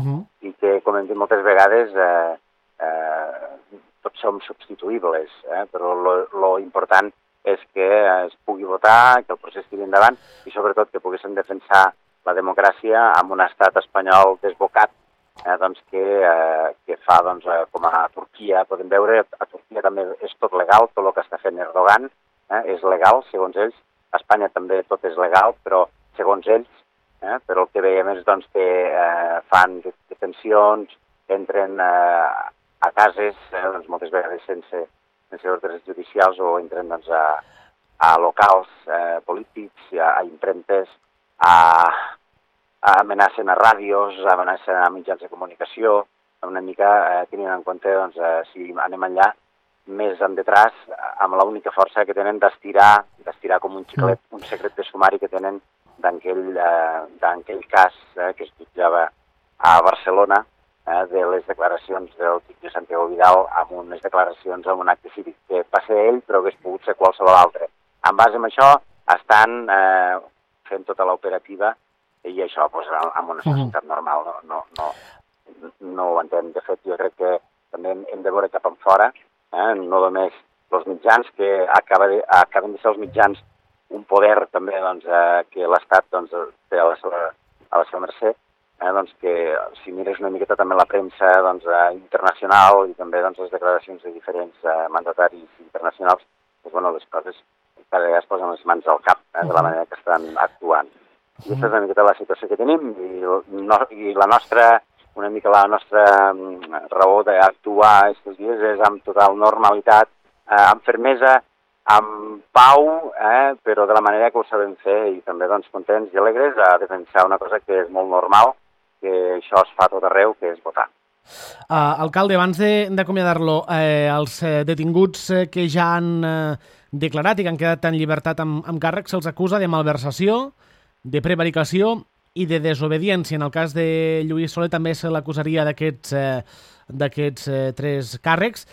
i que, com hem dit moltes vegades, tots som substituïbles, però lo important és que es pugui votar, que el procés tiri endavant i sobretot que poguéssim defensar la democràcia amb un estat espanyol desbocat doncs, que fa, doncs, com a Turquia, podem veure, a Turquia també és tot legal, tot el que està fent Erdogan és legal, segons ells, a Espanya també tot és legal, però segons ells, però el que veiem és doncs, que fan detencions, entren a cases, doncs, moltes vegades sense ordres judicials o entren doncs, a locals polítics, a impremtes, amenacen a ràdios, amenacen a mitjans de comunicació, una mica tenint en compte, doncs, si anem enllà, més en detrás, amb l'única força que tenen d'estirar com un xiclet, un secret de sumari que tenen d'aquell cas que es jutjava a Barcelona, de les declaracions del Quique Santiago Vidal amb unes declaracions en un acte cívic, que va ser ell però hagués pogut ser qualsevol altre. En base a això estan fent tota l'operativa i això doncs, en una societat normal no ho entenc. De fet, jo crec que també hem de veure cap enfora, no només els mitjans, que acaben de ser els mitjans un poder també doncs, que l'Estat doncs, té a la seva mercè, doncs que si mires una miqueta també la premsa doncs, internacional i també doncs, les declaracions de diferents mandataris internacionals, doncs, bueno, les coses cada vegada es posen les mans al cap de la manera que estan actuant. I aquesta és una miqueta la situació que tenim i una mica la nostra raó d'actuar aquests dies és amb total normalitat, amb fermesa, amb pau, però de la manera que ho sabem fer i també doncs, contents i alegres a defensar una cosa que és molt normal, que això es fa a tot arreu, que és votar. Alcalde, abans d'acomiadar-lo, els detinguts que ja han declarat i que han quedat en llibertat amb càrrec se'ls acusa de malversació, de prevaricació i de desobediència. En el cas de Lluís Solé també se l'acusaria d'aquests 3 càrrecs.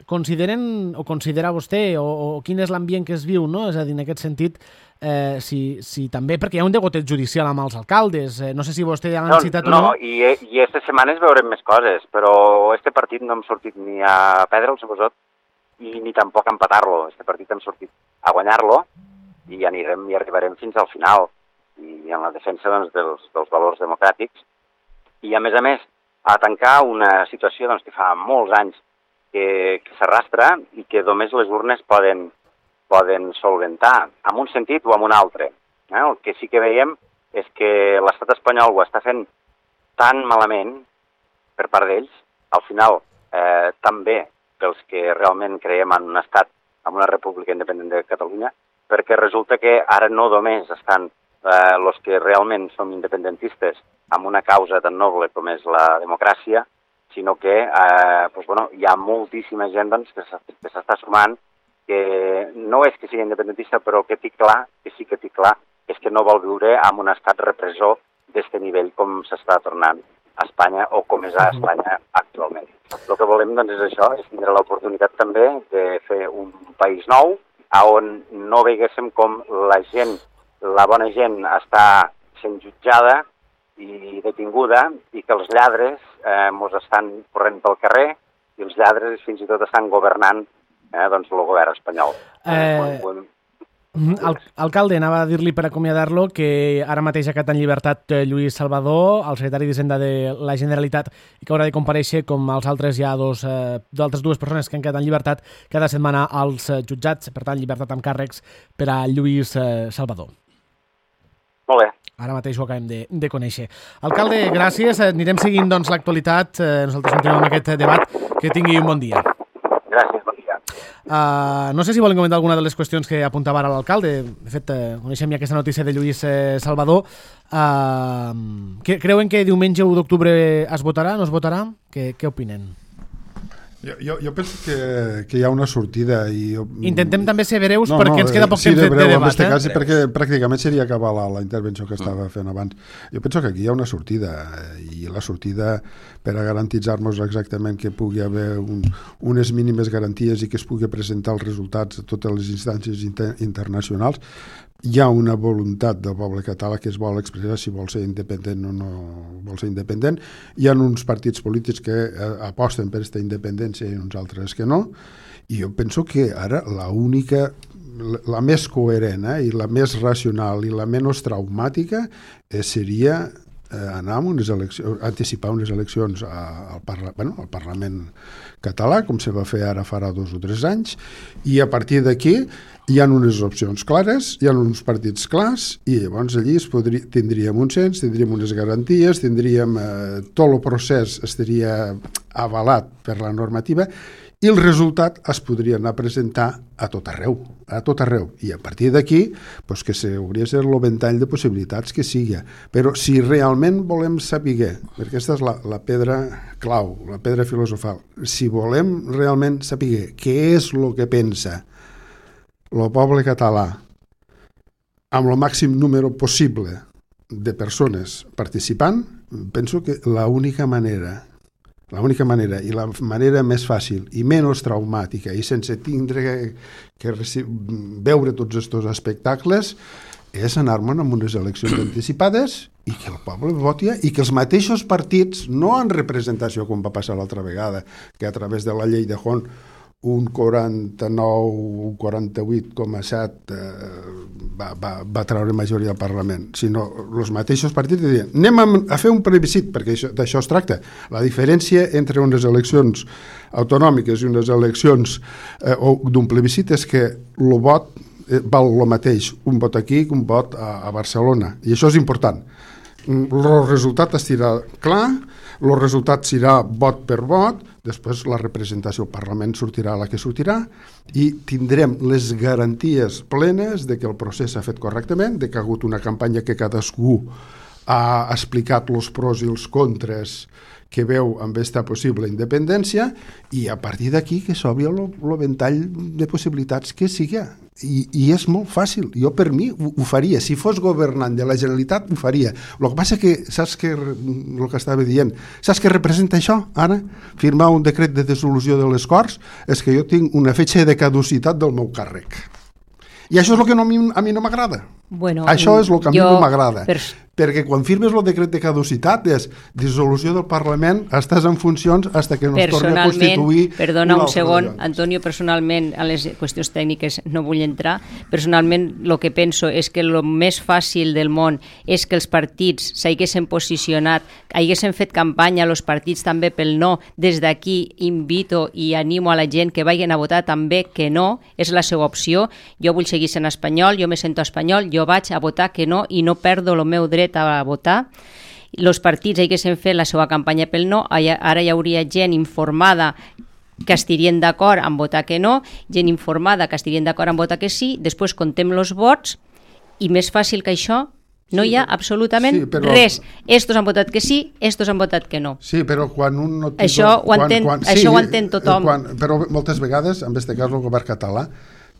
Considera vostè o quin és l'ambient que es viu, no? És a dir, en aquest sentit, si també, perquè hi ha un degoteig judicial amb els alcaldes, no sé si vostè ja l'han citat o no. No, i aquestes setmanes veurem més coses, però este partit no hem sortit ni a perdre'l, suposat, i ni tampoc a empatar-lo. Este partit hem sortit a guanyar-lo i arribarem fins al final, i en la defensa doncs, dels valors democràtics, i a més, a tancar una situació doncs, que fa molts anys que s'arrastra i que només les urnes poden solventar, en un sentit o en un altre. El que sí que veiem és que l'estat espanyol ho està fent tan malament per part d'ells, al final també pels que realment creiem en un estat, en una república independent de Catalunya, perquè resulta que ara no només estan els que realment som independentistes amb una causa tan noble com és la democràcia, sinó que hi ha moltíssima gent doncs, que s'està sumant, que no és que sigui independentista, però que sí que té clar, és que no vol viure en un estat repressor d'aquest nivell com s'està tornant a Espanya o com és a Espanya actualment. El que volem doncs, és això, és tindre l'oportunitat també de fer un país nou, on no veiguéssim com la bona gent està sent jutjada i detinguda i que els lladres ens estan corrent pel carrer i els lladres fins i tot estan governant el govern espanyol. Alcalde, anava a dir-li per acomiadar-lo que ara mateix ha quedat en llibertat Lluís Salvador, el secretari d'Hisenda de la Generalitat, i que haurà de comparèixer com els altres hi ha d'altres 2 persones que han quedat en llibertat cada setmana als jutjats, per tant, llibertat amb càrrecs per a Lluís Salvador. Molt bé. Ara mateix ho acabem de conèixer. Alcalde, gràcies. Anirem seguint doncs, l'actualitat. Nosaltres continuem amb aquest debat. Que tingui un bon dia. Gràcies, bon dia. No sé si volen comentar alguna de les qüestions que apuntava ara l'alcalde. De fet, coneixem ja aquesta notícia de Lluís Salvador. Creuen que diumenge 1 d'octubre es votarà? No es votarà? Què opinen? Jo penso que hi ha una sortida i intentem també ser breus perquè ens queda poc temps de debat. Cas, perquè pràcticament seria acabar la intervenció que estava fent abans. Jo penso que aquí hi ha una sortida i la sortida per a garantitzar-nos exactament que pugui haver unes mínimes garanties i que es pugui presentar els resultats a totes les instàncies internacionals. Hi ha una voluntat del poble català que es vol expressar si vol ser independent o no vol ser independent. Hi ha uns partits polítics que aposten per aquesta independència i uns altres que no. I jo penso que ara la més coherent i la més racional i la menys traumàtica seria anar a unes eleccions, anticipar unes eleccions al Parlament català, com se va fer ara farà 2 o 3 anys, i a partir d'aquí hi ha unes opcions clares, hi ha uns partits clars, i llavors allí tindríem un cens, tindríem unes garanties, tindríem tot el procés estaria avalat per la normativa, i el resultat es podria anar a presentar a tot arreu. I a partir d'aquí, doncs que s'hauria de ser el ventall de possibilitats que sigui. Però si realment volem saber, perquè aquesta és la pedra clau, la pedra filosofal, si volem realment saber què és el que pensa el poble català amb el màxim número possible de persones participant, penso que l'única manera i la manera més fàcil i menys traumàtica i sense tindre que veure tots aquests espectacles és anar-me'n amb unes eleccions anticipades i que el poble voti i que els mateixos partits, no en representació com va passar l'altra vegada, que a través de la llei de Hon un 49, un 48,7 va treure majoria al Parlament, sinó els mateixos partits diuen, anem a fer un plebiscit, perquè d'això es tracta. La diferència entre unes eleccions autonòmiques i unes eleccions d'un plebiscit és que el vot val el mateix, un vot aquí que un vot a Barcelona, i això és important. El resultat estirà clar, el resultat serà vot per vot, després la representació al Parlament sortirà la que sortirà i tindrem les garanties plenes de que el procés s'ha fet correctament, de que ha hagut una campanya que cadascú ha explicat els pros i els contres que veu amb esta possible independència i a partir d'aquí que s'obri el ventall de possibilitats que sigui. I és molt fàcil. Jo per mi ho faria. Si fos governant de la Generalitat ho faria. El que passa que, saps que el que estava dient, saps què representa això ara? Firmar un decret de dissolució de les Corts és que jo tinc una fetge de caducitat del meu càrrec. I això és el que a mi no m'agrada. Bueno, això és el que a mi no m'agrada. Perquè quan firmes el decret de caducitat és dissolució del Parlament, estàs en funcions fins que no es torni a constituir. Perdona un segon, Antonio, personalment, a les qüestions tècniques no vull entrar. Personalment, el que penso és que el més fàcil del món és que els partits s'haguessin posicionat, haguessin fet campanya els partits també pel no. Des d'aquí invito i animo a la gent que vagin a votar també que no, és la seva opció. Jo vull seguir sent espanyol, jo me sento espanyol, jo vaig a votar que no i no perdo el meu dret a votar. Els partits haguessin fet la seva campanya pel no, ara hi hauria gent informada que estirien d'acord en votar que no, gent informada que estirien d'acord en votar que sí, després contem els vots i més fàcil que això no hi ha absolutament res. Estos han votat que sí, estos han votat que no. Sí, però quan un no... Això ho entén tothom. Però moltes vegades, en aquest cas el govern català,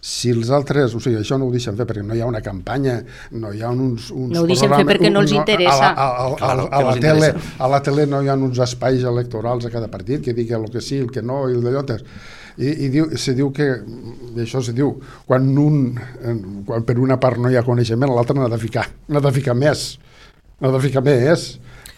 si els altres, o sigui, això no ho deixen fer perquè no hi ha una campanya, no hi ha uns no ho deixen fer perquè no els interessa. A la tele no hi ha uns espais electorals a cada partit que digui el que sí, el que no i el d'allò. I se diu que, això se diu, quan per una part no hi ha coneixement, l'altra n'ha de ficar més.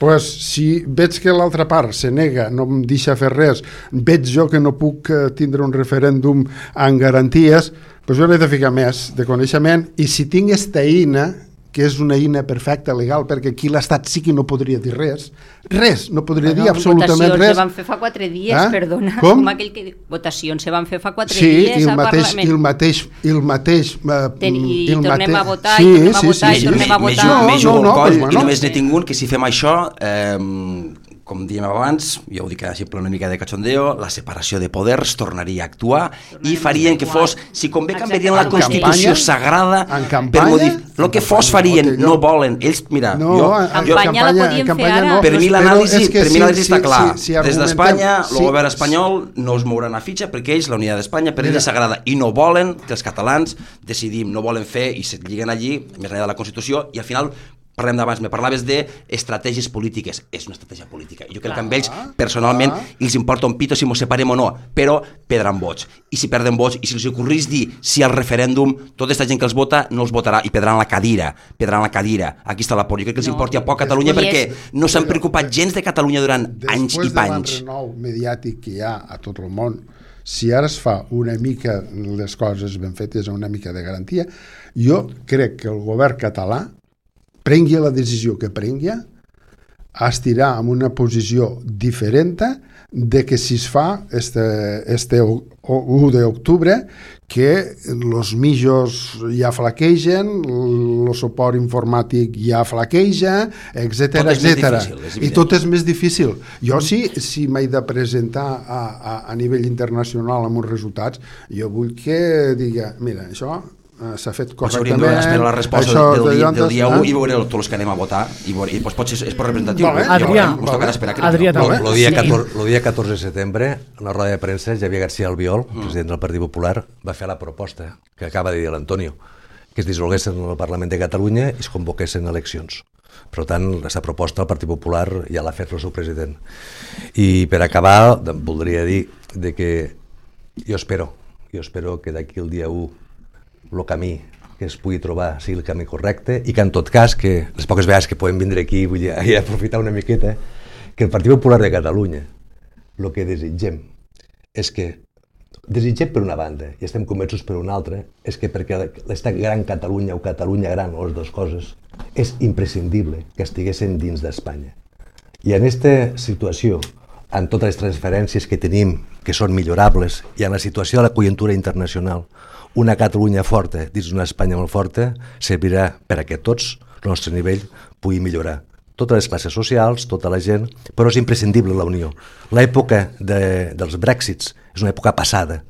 Pues, si veig que l'altra part se nega, no em deixa fer res, veig jo que no puc tindre un referèndum amb garanties, pues jo n'he de ficar més de coneixement i si tinc esta eina, que és una eina perfecta, legal, perquè aquí l'Estat sí que no podria dir res, no podria dir absolutament res. Votacions se van fer fa 4 dies, perdona. Com aquell que diu, votacions se van fer fa 4 dies al Parlament. I el mateix... I tornem a votar, i tornem a votar. Més jugo el coll, i només n'he tingut que si fem això... com dèiem abans, jo ho dic així una mica de cachondeo, la separació de poders tornaria a actuar i farien que fos, si convé canviarien la Constitució sagrada per modificar, el que fos farien, no volen, ells, mira, campanya la podien fer ara. Per mi l'anàlisi està clar, des d'Espanya, el govern espanyol no es mourà una fitxa perquè ells, la unitat d'Espanya, per ells és sagrada i no volen que els catalans decidim, no volen fer i se lliguen allí, més enllà de la Constitució, i al final parlem d'abans, me parlaves d'estratègies polítiques. És una estratègia política. Jo crec que amb ells, personalment, els importa un pito si mos separem o no, però perdran vots. I si perden vots, i si els ocorrís dir si al referèndum, tota aquesta gent que els vota no els votarà i perdran la cadira. Aquí està la por. Jo crec que els importi a poc Catalunya perquè no s'han preocupat gens de Catalunya durant anys i panys. Després de l'enrenou mediàtic que hi ha a tot el món, si ara es fa una mica les coses ben fetes, una mica de garantia, jo crec que el govern català prengui la decisió que prengui, estirà en una posició diferent de que si es fa este 1 d'octubre que els mitjos ja flaquegen, el suport informàtic ja flaqueja, etc. I tot és més difícil. Jo si m'he de presentar a nivell internacional amb uns resultats, jo vull que diga, mira, això s'ha fet correctament. Hauríem d'esperar la resposta del dia 1 i veure tots els que anem a votar i potser és per representatiu. Adrià, el dia 14 de setembre, en la roda de premsa, Javier García Albiol, president del Partit Popular, va fer la proposta que acaba de dir l'Antonio, que es dissolguessin el Parlament de Catalunya i es convoquessin eleccions. Per tant, aquesta proposta el Partit Popular ja l'ha fet el seu president. I per acabar, voldria dir que jo espero que d'aquí el dia 1 el camí que es pugui trobar sigui el camí correcte i que en tot cas, que les poques vegades que podem vindre aquí vull dir, i aprofitar una miqueta, que el Partit Popular de Catalunya el que desitgem és que, desitgem per una banda i estem convençuts per una altra, és que perquè aquesta gran Catalunya o Catalunya gran, o les dues coses, és imprescindible que estiguessin dins d'Espanya. I en aquesta situació, en totes les transferències que tenim, que són millorables, i en la situació de la conjuntura internacional, una Catalunya forta dins d'una Espanya molt forta servirà per a que tots, el nostre nivell, pugui millorar. Totes les classes socials, tota la gent, però és imprescindible la unió. L'època dels Brexits és una època passada.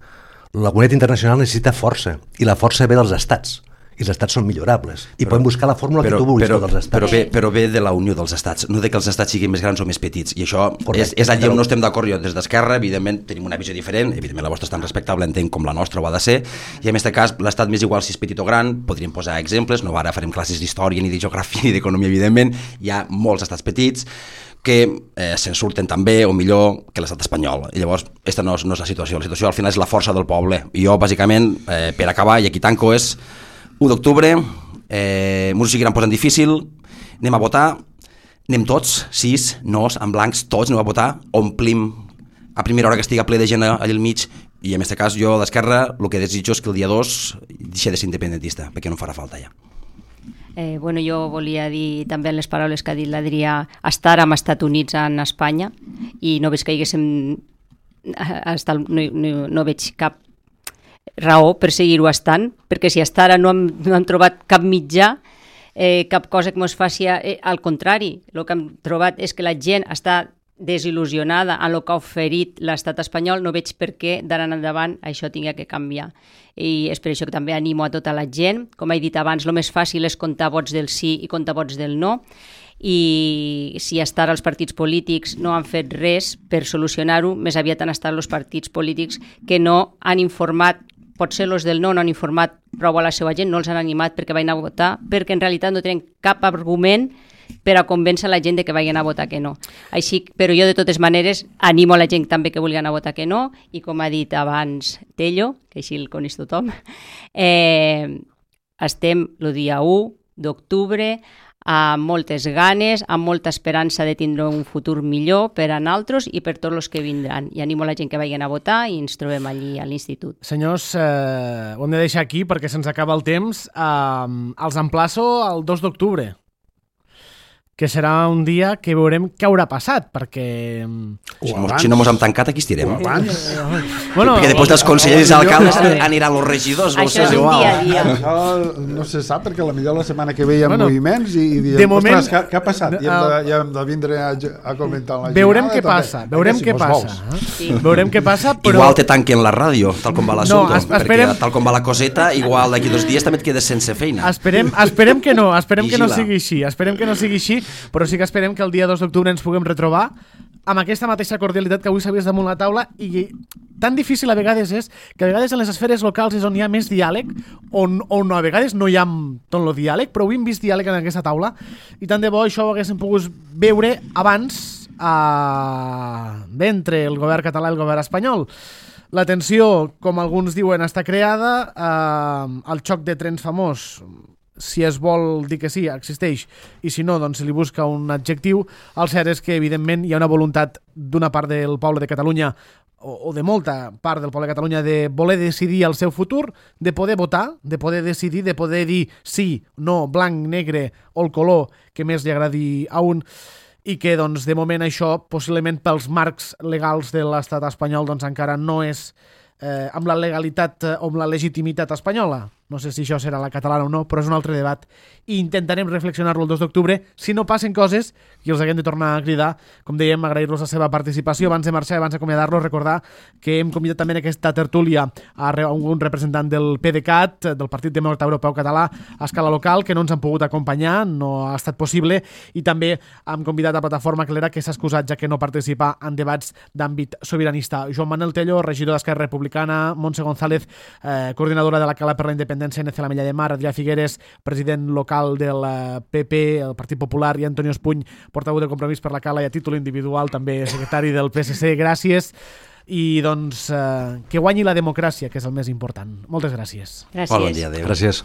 La comunitat internacional necessita força, i la força ve dels estats. I els estats són millorables i podem buscar la fórmula que tu vulguis dels estats. Però ve de la unió dels estats, no de que els estats siguin més grans o més petits, i això és allà on no estem d'acord. Jo des d'Esquerra, evidentment, tenim una visió diferent, evidentment la vostra és tan respectable, entenc, com la nostra ho ha de ser, i en aquest cas l'estat m'és igual si és petit o gran, podríem posar exemples, no ara farem classes d'història ni de geografia ni d'economia, evidentment, hi ha molts estats petits que se'n surten també o millor que l'estat espanyol. I llavors, aquesta no és la situació al final és la força del poble. I jo, bàsicament, per acabar, i aquí tanco, és 1 d'octubre, m'ho seguiran posant difícil, anem a votar, anem tots, 6, nos, en blancs, tots anem a votar, omplim a primera hora que estigui ple de gent allà al mig, i en aquest cas jo d'Esquerra el que desitjo és que el dia 2 deixi de ser independentista, perquè no em farà falta ja. Jo volia dir també en les paraules que ha dit l'Adrià, estar amb Estats Units en Espanya, i no veig que no veig cap raó per seguir-ho estant, perquè si hasta ara no hem trobat cap mitjà, cap cosa que ens faci, al contrari, el que hem trobat és que la gent està desil·lusionada en el que ha oferit l'estat espanyol, no veig per què d'ara en endavant això tingui que canviar. I és per això que també animo a tota la gent, com he dit abans, el més fàcil és comptar vots del sí i comptar vots del no, i si hasta ara els partits polítics no han fet res per solucionar-ho, més aviat han estat els partits polítics que no han informat, potser els del no han informat prou a la seva gent, no els han animat perquè vagin a votar, perquè en realitat no tenen cap argument per a convèncer la gent de que vagin a votar que no. Així, però jo de totes maneres animo a la gent també que vulguin anar a votar que no, i com ha dit abans Tello, que així el coneix tothom, estem el dia 1 d'octubre amb moltes ganes, amb molta esperança de tindre un futur millor per a nosaltres i per tots els que vindran. I animo la gent que vagin a votar i ens trobem allí a l'institut. Senyors, ho hem de deixar aquí perquè se'ns acaba el temps. Els emplaço el 2 d'octubre, que serà un dia que veurem què haurà passat, perquè... Si no mos hem tancat, aquí estirem. Bueno, perquè després dels consellers i alcaldes aniran els regidors. Això és un dia a dia. Això no se sap, perquè potser la setmana que ve hi ha moviments i diem, de moment, ostres, què ha passat? I hem de vindre a comentar la veurem què passa, veurem què passa. Veurem què passa, però... Igual te tanquen la ràdio, tal com va l'assumpte, perquè tal com va la coseta, igual d'aquí 2 dies també et quedes sense feina. Esperem que no sigui així, però sí que esperem que el dia 2 d'octubre ens puguem retrobar amb aquesta mateixa cordialitat que avui s'havia damunt la taula, i tan difícil a vegades és que a vegades en les esferes locals és on hi ha més diàleg, on a vegades no hi ha tot el diàleg, però avui hem vist diàleg en aquesta taula, i tant de bo això ho haguéssim pogut veure abans d'entre el govern català i el govern espanyol. La tensió, com alguns diuen, està creada, el xoc de trens famós, si es vol dir que sí, existeix, i si no, doncs se li busca un adjectiu. El cert és que, evidentment, hi ha una voluntat d'una part del poble de Catalunya, o de molta part del poble de Catalunya, de voler decidir el seu futur, de poder votar, de poder decidir, de poder dir sí, no, blanc, negre, o el color que més li agradi a un, i que, doncs, de moment això, possiblement pels marcs legals de l'estat espanyol, doncs encara no és amb la legalitat o amb la legitimitat espanyola. No sé si això serà la catalana o no, però és un altre debat. I intentarem reflexionar-lo el 2 d'octubre. Si no passen coses, i els haguem de tornar a cridar, com dèiem, agrair-los la seva participació. Abans de marxar, abans d'acomiadar-los, recordar que hem convidat també en aquesta tertúlia a un representant del PDeCAT, del Partit Demòcrata Europeu Català, a escala local, que no ens han pogut acompanyar, no ha estat possible, i també hem convidat a Plataforma Clera, que s'ha excusat ja que no participa en debats d'àmbit sobiranista. Joan Manuel Tello, regidor d'Esquerra Republicana, Montse González, coordinadora de la Cala per la Independència Independència NC La Mella de Mar, Adrià Figueres, president local del PP, el Partit Popular, i Antonio Espuny, portaveu de Compromís per la Cala i a títol individual també secretari del PSC. Gràcies. I doncs que guanyi la democràcia, que és el més important. Moltes gràcies. Gràcies. Bon dia, adéu. Gràcies.